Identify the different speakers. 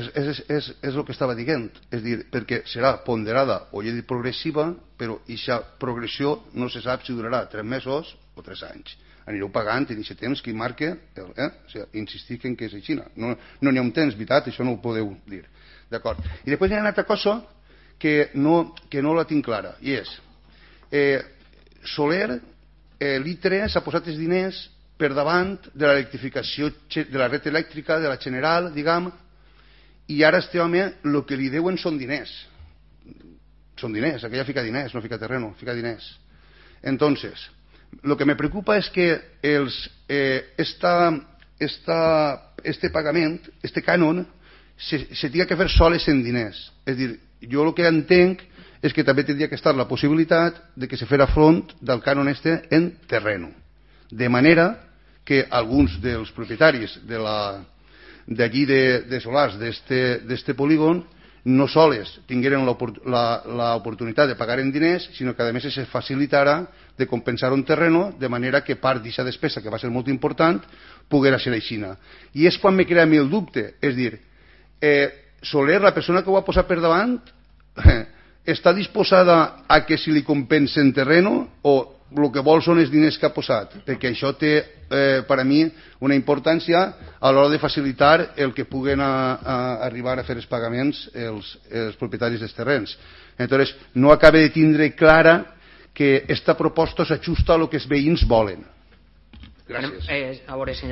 Speaker 1: És el que estava dient, és dir, perquè serà ponderada o llei progressiva, però aquesta progressió no se sap si durarà 3 mesos o 3 anys. Anireu pagant en aquest temps que marca, insistir en que és així. No n'hi ha un temps, veritat, això no ho podeu dir. D'acord. I després hi ha una altra cosa que no la tinc clara, i és Soler, l'ITRE s'ha posat els diners per davant de l'electrificació de la red elèctrica, de la general, diguem, i ara este home el que li deuen són diners. Són diners, aquella fica diners, no fica terreno, fica diners. Entonces, lo que me preocupa es que este pagament, este cànon, se tinga que fer soles en diners. És dir, jo el que entenc és que també tindria que estar la possibilitat de que se fera front del cànon este en terreno. De manera que alguns dels propietaris d'allí de solars d'este polígon no sols tingueren l'oportunitat de pagar en diners, sinó que a més se facilitara de compensar un terreno de manera que part d'aquesta despesa, que va ser molt important, poguera ser aixina. I és quan me crea a mi el dubte, és dir, Soler, la persona que ho ha posat per davant, està disposada a que si li compensen terreno o el que vol són els diners que ha posat, perquè això té per a mi una importància a l'hora de facilitar el que puguen arribar a fer els pagaments els propietaris dels terrenys. Entonces, no acaba de tindre clara que esta proposta s'ajusta a lo que els veïns volen. Gràcies.
Speaker 2: A veure, senyor